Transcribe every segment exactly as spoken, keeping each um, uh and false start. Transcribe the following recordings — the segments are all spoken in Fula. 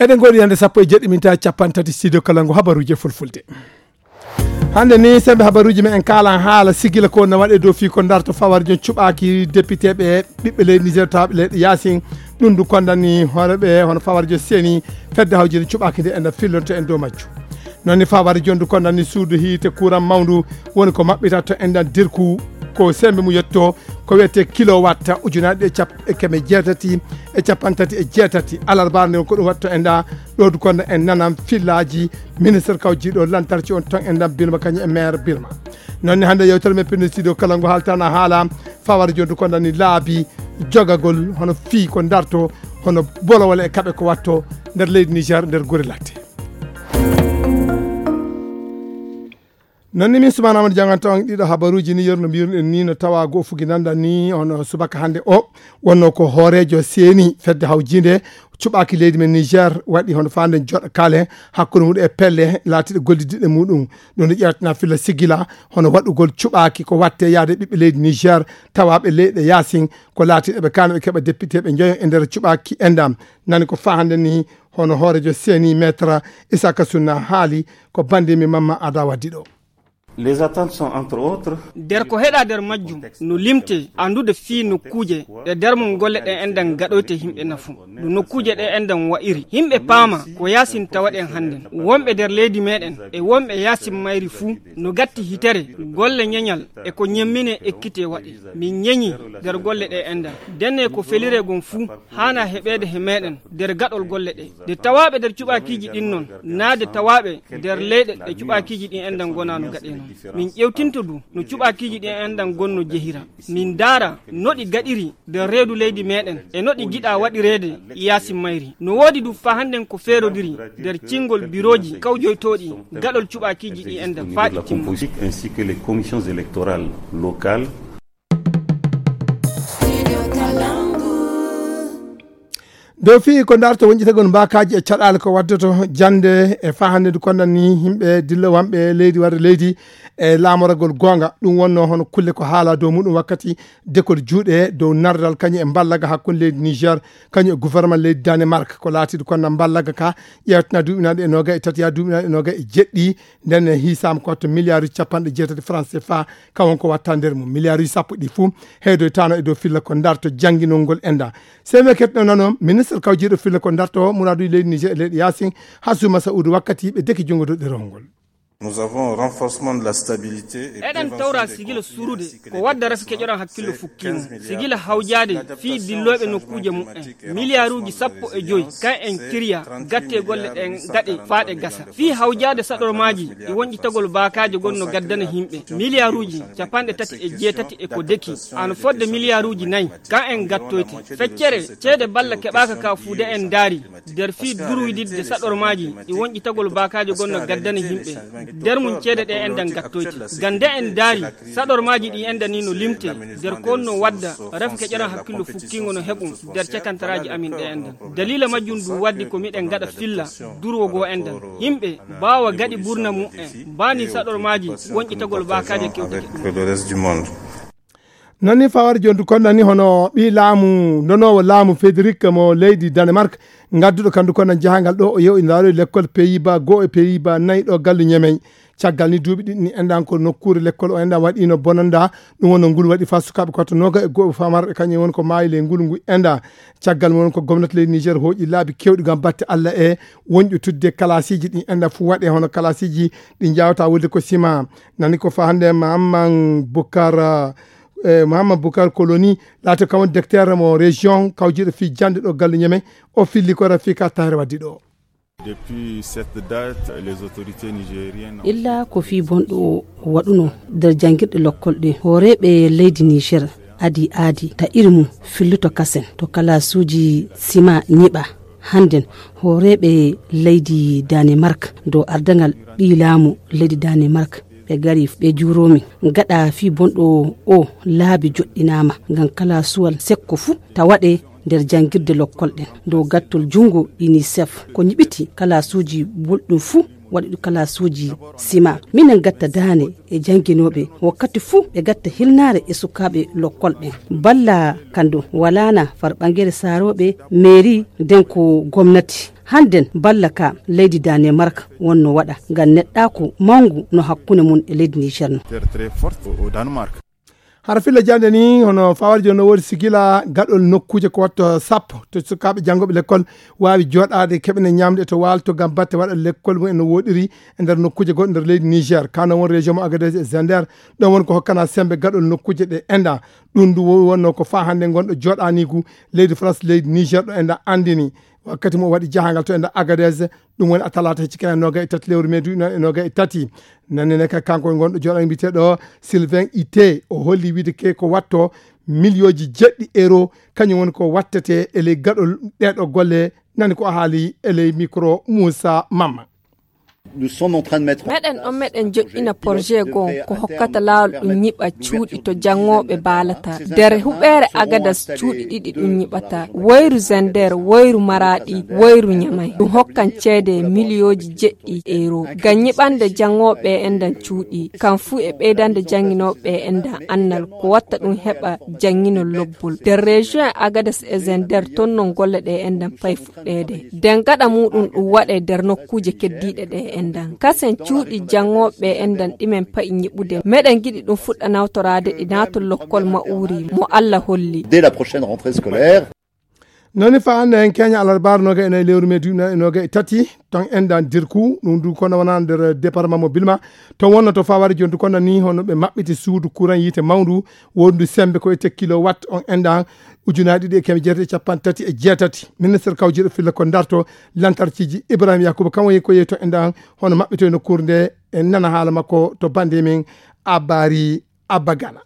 Eɗen ngoodi hannde sappo e jeɗɗi minta capanɗe tati studio kala ngu habaruuji e fulfulde. Hannde ni sembe habaruuji men en kaalan haala sigila ko no waɗe dow fii ko darto fawar jon cuɓaaki depiteeɓe ɓiɓɓe leydi Niger tawaaɓe leyɗe yaasin. Ɗum ndu kondani hooreɓe hono fawar jon seni fedde hawjinde cuɓaaki nde en fillonto en dow majju. Noon ni fawar jon ndu kondani suudu hiite kuuran mawndu woni ko maɓɓita to enɗan dirku ko sembe mu yetto ko wiyetee kilowatt ujunaaji ɗe cap e keme jeetati e capanɗe tati e jeetati alarbaare nde ko ɗum waɗto enɗa. Ɗo du kono en nanan fillaaji ministre kawjiiɗo lantarki on ton enɗan Birma kañum e maire Birma. Noon ni hannde yewtere men pindi studio kala ngo haaltana haala fawar jon du kono ni laabi jogagol hono fii ko darto hono bolowole e kaɓe ko watto nder leydi Niger nder gure latte. Noon ni min Soumana Amadou Dianganto on ɗiɗo habaruuji ni yerno mbiyruɗen ni no tawa goo fugi nanda ni on subaka hannde o wonno ko hooreejo seeni fedde hawjiinde cuɓaaki leydi men Niger waɗi hono faanden joɗa kale hakkunde muɗum e pelle laatiɗe gollidiɗe muɗum. Ɗum no ƴeewtana filla sigila hono waɗugol cuɓaaki ko watte yaade ɓiɓɓe leydi Niger tawaaɓe leyɗe yaasin ko laatiɗe ɓe kaana ɓe keɓa depiteeɓe njoyo e nder cuɓaaki endam. Nani ko faa hannde ni hono hoorejo seeni maître Isaka Sunna haali ko bande mi mamma ada waddi ɗo. Les attentes sont entre autres. Nder ko heɗa nder majjum no limte anndude fii nokkuuje ɗe nder mum golle ɗe enɗan gaɗoyte yimɓe nafu no nokkuuje ɗe enɗan wa'iri yimɓe paama ko yaasin tawaɗen hannden wonɓe nder leydi meɗen e wonɓe yaasin mayri fuu no gatti hitere golle ñeñal e ko ñemmine ekkite waɗe min ñeñi nder golle ɗe enɗan ndenne ko felire gon fuu haana heɓeede he meɗen nder gaɗol golle ɗe nde tawaaɓe nder cuɓaakiiji ɗin non naa nde tawaaɓe nder leyɗe ɗe cuɓaakiiji ɗin enɗan ngonaa no gaɗee non min ƴewtinto du no cuɓaakiiji ɗin enɗan gonno jehira min ndaara no ɗi gaɗiri nder reedu leydi meɗen e no ɗi jiɗaa waɗireede yaasi mayri no woodi du faa hannden ko feerodiri nder cinngol birooji kawjoytooɗi gaɗol cuɓaakiiji ɗin enɗan faa ɗi timma. Ainsi que les commissions électorales locales. Dow fii ko darto wonƴitagol mbaakaaji e caɗaale ko waddoto jannde e faa hannde ndu konnani yimɓe dillowanɓe leydi warde leydi e laamoragol goonga ɗum wonno hono kulle ko haala dow muɗum wakkati dekol juuɗe dow nardal kañum e mballaga hakkunde leydi Niger kañum e gouvernement leydi Danemark ko laatiiɗo konna mballaga ka ƴeewtana duuɓinaaɗe e noga e tati yaa duuɓinaaɗe e noga e jeɗɗi nden e hiisaama ko watta milliard uji capanɗe jeetati franc C F A ka won ko watta nder mum milliard uji sappo ɗi fuu heedoytaano e dow filla ko darto jannginol ngol enda seme ketno nano ministre kawjiiɗo filla ko darto muraaduuji leydi Niger e leyɗe yaasin Hassouma Saoudou wakkati ɓe deki junngo dow ɗerewol ngol. Nous avons renforcement de la stabilité et eɗen tawra sigila surude ko wadda rafi keƴoran hakkillo fukkiimo sigila hawjaade fii dillooɓe nokkuuje mumen miliyaaruuji sappo e joyi kan en kiriya gatte golle ɗen gaɗe faaɗe gasa fii hawjaade saɗormaaji e wonƴitagol baakaajo gonno gaddana yimɓe miliyaaruuji capanɗe tati e jeetati e ko deki ano fodde miliyaaruuji nayi kan en gattoyte feccere ceede balla keɓaaka ka fuude en ndaari nder fii durwididde saɗormaaji e wonƴitagol baakaajo gonno gaddana yimɓe nder mum ceede ɗe enɗan gattoyte gande en ndaari saɗormaaji ɗi enɗan ni no limte nder ko no wadda ref keƴoran hakkillo fukkingo no heɓum nder cakantaraaji amin ɗe enɗan daliila majjum du waddi ko miɗen gaɗa filla durwo goo enɗan yimɓe mbaawa gaɗi burna mum en mbaani saɗormaaji wonƴitagol baakaajo kewtake ɗum. Noon ni fawar jondu konna ni hono ɓi laamu nonoowo laamu Federic mo leydi Danemark ngadduɗo kandu konna jahangal ɗo o yew ina laaloyi lekkol Pays-Bas goo e Pays-Bas nayi ɗo gallu ñemey caggal ni duuɓi ɗiɗi ni enɗan ko nokkuure lekkol o enɗan waɗino bonanda ɗum wonno ngulu waɗi fa sukaaɓe koto noga e goo famarɓe kañum woni ko maayi ley ngulu ngu enɗa caggal mum woni ko gomnati leydi Niger hooƴi laabi kewɗi gam batte Allah e wonƴo tudde kalasiiji ɗi enɗan fu waɗe hono kalasiiji ɗi jawta wulde ko sima nani ko fa hannde Mahamman Bukar e Mahamman Bukar Koloni laati kam woni decteur mo région kawjiiɗo fii jannde ɗo galle ñeme o filli ko rafi ka tahre waddi ɗo. Depuis cette date, les autorités nigériennes ont illa ko fii bonɗo o waɗuno nder janngirɗe lokkol ɗe hooreeɓe leydi Niger adi aadi ta iri mum filluto kasen to kalaasuuji sima ñiɓa hannden hooreeɓe leydi Danemark dow ardangal ɓii laamu leydi Danemark ɓe gari ɓe juuroomi gaɗa fii bonɗo o laabi joɗɗinaama ngam kalaasuwal sekko fuu ta waɗe nder janngirde lokkol ɗen dow gattol junngo unicef ko ñiɓiti kalaasuuji bulɗum fuu waɗuɗi kalaasuuji sima minen gatta daane e jannginooɓe wakkati fuu ɓe gatta hilnaare e sukaaɓe lokkol ɓen balla kan ɗum walaana far ɓangere saarooɓe meeri nden ko gomnati Hannden balla ka leydi Danemark wonno waɗa ngam neɗɗaaku mawngu no hakkunde mum e leydi Niger no. Hara filla jande ni hono fawari joni no woodi sigila gaɗol nokkuuje ko watto sappo to sukaaɓe janngoɓe lekkol waawi jooɗaade keɓene ñamde to waalto ngam batte waɗa lekkol mum en no woɗiri e nder nokkuuje goɗɗo nder leydi Niger. Kano won région mo Agadez e Zender ɗon won ko hokkana sembe gaɗol nokkuuje ɗe enda. Ɗum ndu wonno ko faa hannde ngonɗo jooɗaniigu leydi France leydi Niger ɗo enda anndini. Wakkati mo waɗi jahangal to enda Agadez, ɗum woni a talaata hecci kene noga e tati lewru mai duuɓi noga e tati. Nanene ka kanko ngonɗo jooɗani mbiteɗo Sylvain Ité o holli wiide ke ko watto miliyooji jeɗɗi euro kañum woni ko wattete e ley gaɗol ɗeɗo golle. Nani ko haali e ley micro Moussa Mamma. Meɗen ɗon meɗen joƴƴina projet goo ko hokkata laawol ɗum ñiɓa cuuɗi to janngooɓe baalata. Nder huɓeere Agadas cuuɗi ɗiɗi ɗum ñiɓata, woyru Zender, woyru Maraɗi, woyru Ñamay. Ɗum hokkan ceede miliyooji jeɗɗi euro ngam ñiɓande janngooɓe enɗan cuuɗi, kam fuu e ɓeydande jannginooɓe enɗan annal ko watta ɗum heɓa jannginol lobbol. Nder région Agadas e Zender ton non golle ɗe enɗan pay fuɗɗeede. Nden gaɗa muuɗum ɗum waɗe nder nokkuuje keddiiɗe ɗe enɗan. Kasen cuuɗi janngooɓe enɗan ɗi men pa'i ñiɓude. Meɗen giɗi ɗum fuɗɗa nawtoraade ɗi naatol lokkol ma'uuri mo Alla holli. Dès la prochaine rentrée scolaire. Noni fa hannde en keña alarbaaro noga e nayi lewru mai duuɓi noga e tati ton enɗan Dirku ɗum du kono wona nder département mo Bilma. To wonno to fawari joni du kono ni hono ɓe maɓɓiti suudu courant yiite mawndu wondu sembe ko ete kilowatt on enɗan ujunaaji ɗiɗi e keme jeetati e capanɗe tati e jeetati. Ministre kawjiiɗo filla ko darto lantarciji Ibrahima Yakuba kam woni ko yehi to enɗan hono maɓɓito e nokkuure nde en nana haala makko to bande men Abari Abagana.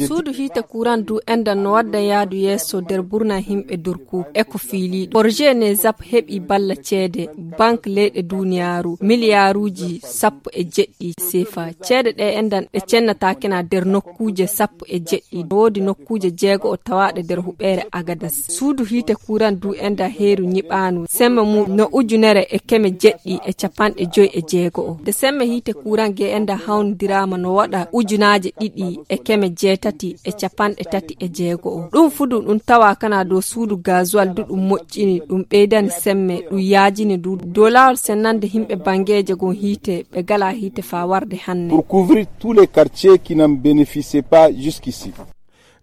Suudu hiite kuran du enɗan no wadda yaadu yeeso nder burna himɓe Durku e ko fiiliiɗo. Projet ne zap heɓi balla ceede bank leyɗe duniyaaru miliyaaruuji sappo e jeɗɗi sefa. Ceede ɗe enɗan ɗe cennataake na nder nokkuuje sappo e jeɗɗi. No woodi nokkuuje jeego o tawaaɗe nder huɓeere Agadas. Suudu hiite kuran du enɗan heeru ñiɓaanu. Sembe mum no ujunere e keme jeɗɗi e capanɗe joy e jeego o. Nde sembe hiite kuran ge enɗan hawnodiraama no waɗa ujunaaje ɗiɗi e keme jeetati e capanɗe tati e jeego o. Ɗum fudu ɗum tawa kana dow suudu gazuwal du ɗum moƴƴini ɗum ɓeydani semme ɗum yaajini du dow laawol sennande himɓe bangeeje gon hiite ɓe gala hiite faa warde hannde. Pour couvrir tous les quartiers qui n'en bénéficiaient pas jusqu'ici.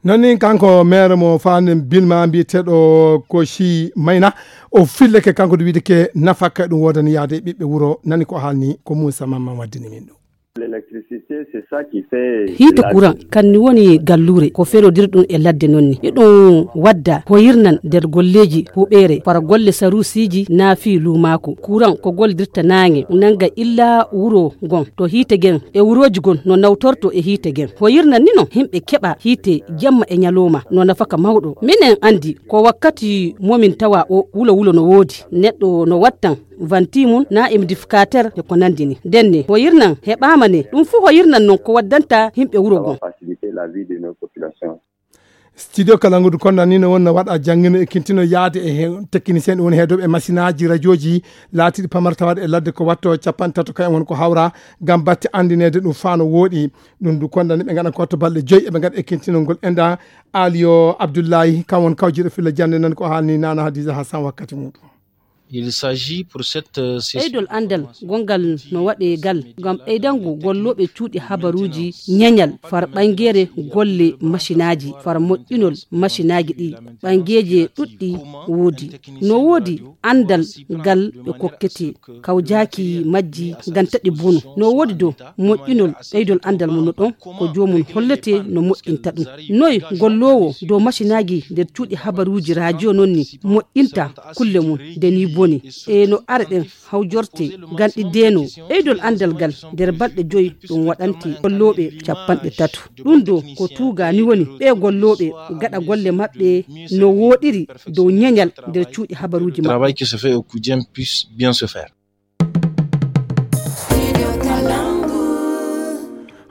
Nani kanko maire mo faanen Bilma mbiyeteeɗo Koshi Mayna o filleke kanko du wiide ke nafaka ɗum woodani yaade ɓiɓɓe wuro nani ko haalni ko Moussa Mamman waddini min ɗum. Hiite courant kanni woni galluure ko ferodir ɗum e ladde noon ni iɗum wadda hoyirnan nder golleeji huɓeere fara golle sarusiiji naafi luumaaku courant ko gollidirta naange nanga illa wuro ngon to hiite gen e wurooji gon no nawtorto e hiite gen hoyirnan ni noon yimɓe keɓa hiite jemma e ñalooma no nafaka mawɗo minen anndi ko wakkati momin tawa o wulo wulo no woodi neɗɗo no wattan vanti mum na humidificateur e ko nanndi ni ndenne hoyirnan heɓaama ne ɗum fuu hoyirnan noon ko waddanta yimɓe wuro ngon. Studio kala ngudu kon nani no wonna waɗa janngino e kintino yaade e technicien ɗum woni heedoɓe e masinaaji rajooji laatiiɗi pamar tawaaɗe e ladde ko watto capanɗe tato kayen won ko hawra ngam batte anndineede ɗum faano wooɗi ɗum du kondani ɓe ngaɗa ko watto balɗe joyi eɓe ngaɗa e kintinolngol enɗa. Aliyo Abdullahi kam won kawjiɗo filla jannde nan ko haalni nana Hadiza Hassan wakkati muɗum. Il s'agit pour cette session. Ɓeydol anndal gonngal no waɗe gal ngam ɓeydango gollooɓe cuuɗi habaruuji ñeñal far ɓangeere golle masinaaji far moƴƴinol masinaaji ɗi ɓangeeje ɗuɗɗi woodi no woodi anndal gal ɓe kokkete kawjaaki majji gantaɗi bonu no woodi dow moƴƴinol ɓeydol anndal mum no ɗon ko joomum hollete no moƴƴinta ɗum noy golloowo dow masinaaji nder cuuɗi habaruuji rajiyo noon ni moƴƴinta kulle mum nde ni boni e no are ɗen hawjorte ganɗi deno ɓeydol anndal gal nder balɗe joyi ɗum waɗante gollooɓe capanɗe tato ɗum do ko tuugani woni ɓe gollooɓe gaɗa golle maɓɓe no woɗiri dow ñeñal nder cuuɗi habaruuji maɓɓe. Travail qui se fait au quotidien puisse bien se faire.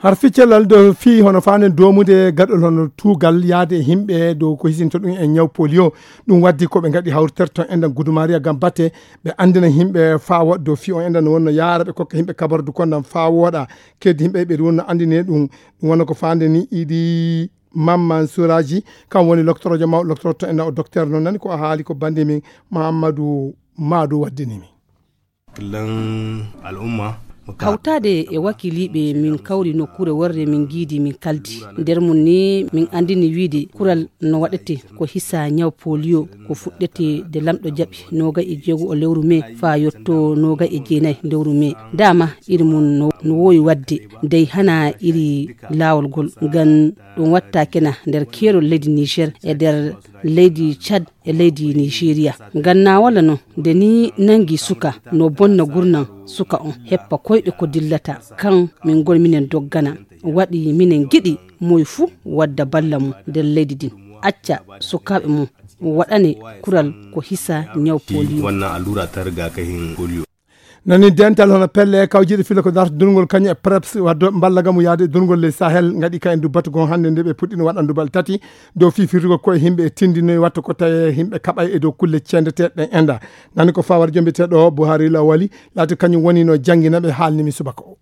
Har ficcellal do fii hono faanen doomude gaɗol hono tuugal yaade e himɓe dow ko hisinto ɗum e ñaw polio. Ɗum waddi ko ɓe ngaɗi hawriterto enɗan gudumariya ngam batte ɓe anndina yimɓe faa woɗɗo fii on enɗan no wonno yaara ɓe kokka yimɓe kabardu konɗan faa wooɗa keddi yimɓe ɓe wonno anndine ɗum. Ɗum wonno ko faande ni iɗi Mamman Suraji, kam woni loktoroojo mawɗo loktorooto en o, docteur noon nani ko haali ko bannde min Mahammadu Maadu waddini mi. Lan al'umma. Hawtaade e wakiiliiɓe, min kawri nokkuure worre, min ngiidi, min kaldi. Nder mum ni, min anndini wiide kural no waɗete ko hisa ñaw polio, ko fuɗɗete de lamɗo jaɓi noogay e jeego o lewru mee faa yotto noogay e jeenay lewru mee. Dama iri mum no, no woowi waɗde, dey hana iri laawol ngol, ngam ɗum watta kena nder keerol leydi Niger e nder leydi Tchad e leydi Nigeria. Ngam na wala no, nde ni nangi suka, no bonna gurnam suka on, heppa koyɗe ko dillata. Kan min ngol minen doggana, waɗi minen giɗi moy fuu wadda balla mum nder leydi din. Acca sukaaɓe mum waɗane kural ko hisa ñaw polio. Wannan allura ta rigakafin polio. Nani dental hono pelle kawjiiɗe filla ko darta durngol kañum e preps waddo mballa gamu yaade durngol ley Sahel ngaɗi ka en du batugo hannde nde ɓe puɗɗino waɗandu bal tati dow fifirdugo koye himɓe e tindinoy wattu ko tawi himɓe kaɓay e dow kulle cendeteɗe ɗen enda. Nani ko fawar jombeteɗo Buhari Lawali laati kañum woni no jangina ɓe haalni mi subaka o.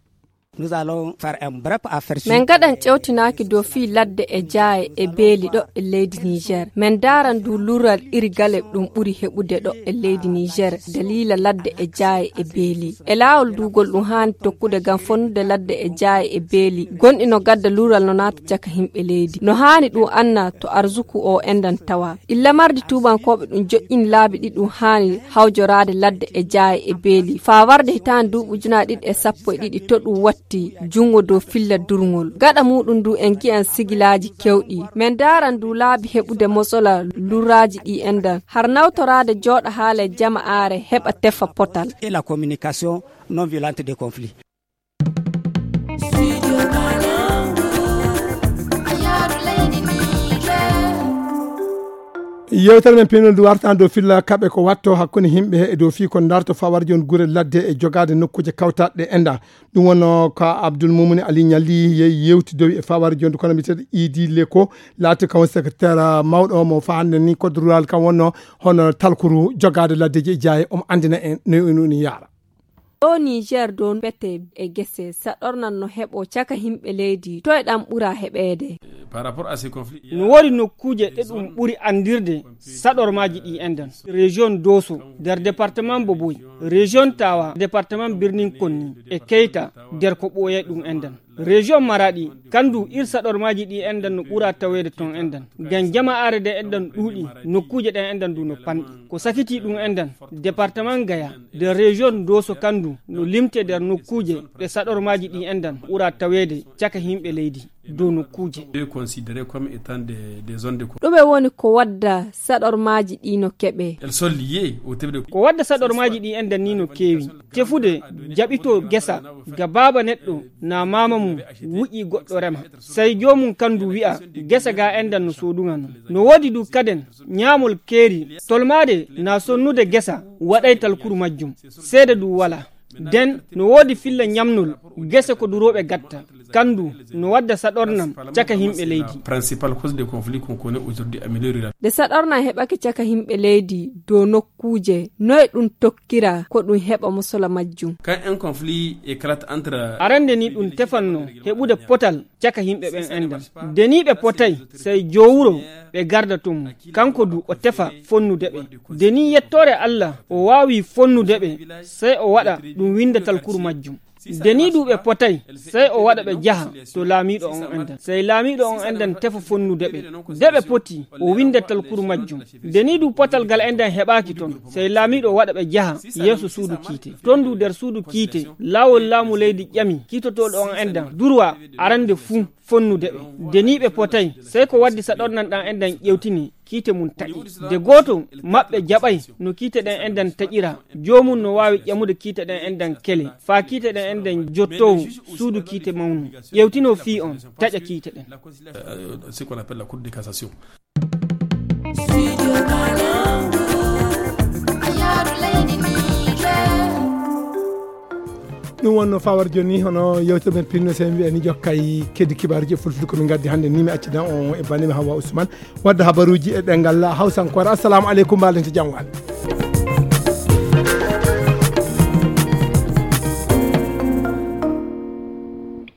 Nous allons faire un bref aperçu. Min ngaɗan ƴewtinaaki dow fii ladde e jaaye e beeli ɗo e leydi Niger. Min ndaaran du luural iri gale ɗum ɓuri heɓude ɗo e leydi Niger, daliila ladde e jaaye e beeli. E laawol duugol ɗum haani tokkude ngam fonnude ladde e jaaye e beeli. Gonɗi no gadda luural no naata caka himɓe leydi. No haani ɗum anna to arzuku o endan tawa. Illa mardi tuubankooɓe ɗum joƴƴini laabi ɗi ɗum haani hawjoraade ladde e jaaye e beeli. Faa warde hitaande duuɓi ujunaaji ɗiɗi e sappo e ɗiɗi to ɗum watti junngo dow filla durngol. Gaɗa muuɗum du en ngi'an sigilaaji kewɗi. Min ndaaran du laabi heɓude mosola lurraaji ɗi endan. Har nawtoraade jooɗa haala e jama'aare heɓa tefa potal. Et la communication non violente des conflits. Yewtere men pinol ndu wartan dow filla kaɓe ko watto hakkunde himɓe e dow fii ko darto fawarji on gure ladde e jogaade nokkuuje kawtaɗe enda. Ɗum wonno ko Abdoul Moumouni Ali Niali yehi yewtidowi e fawarji on kono mbiyeteeɗo Idi Leko laati kam woni secrétaire mawɗo mo fa hannde ni code rural kam wonno hono talkuru jogaade laddeji e jaaye omo anndina en no ni yaara. Ɗo Niger dow pete e gese saɗornan no heɓo caka himɓe leydi, toye ɗam ɓura heɓeede? Par rapport à ces conflits, il y a... No woodi nokkuuje ɗe ɗum ɓuri anndirde saɗormaaji ɗi enɗan. Région Doso, nder département Boboy, région Tawa, département Birnin Konni, e Keita, nder ko ɓooyay ɗum enɗan. Région Maradi, kandu ir saɗormaaji ɗi enɗan no ɓura taweede ton enɗan. Ngam jama'aare ɗe enɗan ɗuuɗi, nokkuuje ɗe enɗan du no panɗi. Ko sakitii ɗum enɗan, département Gaya, nder région Doso kandu no limte nder nokkuuje ɗe saɗormaaji ɗi enɗan ɓura taweede caka himɓe leydi dow nokkuuje. Est considéré comme étant des, des zones de... Ɗume woni ko wadda saɗormaaji ɗi no keɓe? Elles sont liées au type de... Ko wadda saɗormaaji ɗi enɗan ni no keewi. Tefude jaɓito gesa ga baaba neɗɗo na maama mum wuƴi goɗɗo rema. Sey joomum kandu wi'a gesa ga enɗan no soodunga non. No woodi du kaden ñaamol keeri, tolmaade na sonnude gesa waɗay talkuru majjum. Seede du wala. Den no woodi filla ñamnol gese ko durooɓe gatta. Kandu no wadda saɗornam caka himɓe leydi. Principal cause de conflit qu'on connaît aujourd'hui en milieu rural. Nde saɗornam heɓake caka himɓe leydi dow nokkuuje, noye ɗum tokkira ko ɗum heɓa mosola majjum? Quand un conflit éclate entre... Arande ni ɗum tefanno heɓude potal caka himɓe ɓen enɗan. Nde ni ɓe potay, sey jowuro ɓe garda ton mum. Kanko du o tefa fonnude ɓe. Nde ni yettoore Allah o waawi fonnude ɓe, sey o waɗa ɗum winda talkuru majjum. Nde ni du ɓe potay, sey o waɗa ɓe jaha to laamiiɗo on enɗan. Sey laamiiɗo on enɗan tefa fonnude ɓe. Nde ɓe poti, o winda talkuru majjum. Nde ni du potal gal enɗan heɓaaki ton, sey laamiiɗo waɗa ɓe jaha yeeso suudu kiite. Ton du nder suudu kiite, laawol laamu leydi ƴami kiitotooɗo on enɗan durwa arande fuu fonnude ɓe. Nde ni ɓe potay, sey ko waddi saɗornan ɗan enɗan ƴewtini kiite mum taƴi. Nde gooto maɓɓe jaɓay no kiite ɗen enɗan taƴira, joomum no waawi ƴamude kiite ɗen enɗan kele, faa kiite ɗen enɗan jottoo suudu kiite mawnu, ƴewtinoo fii on, taƴa kiite ɗen. Euh, ce qu'on appelle la Cour de cassation. Ɗum wonno fawar joni, hono yewtere men pinno, sen wiyani jokkay keddi kibaaruji e fulfulde ko min gaddi hannde ni, mi accidan on e banndi mi Hawa Ousmane wadda habaruuji e ɗemngal hawsankoore. Assalamu aleykum, mbaɗen to janngo Allah.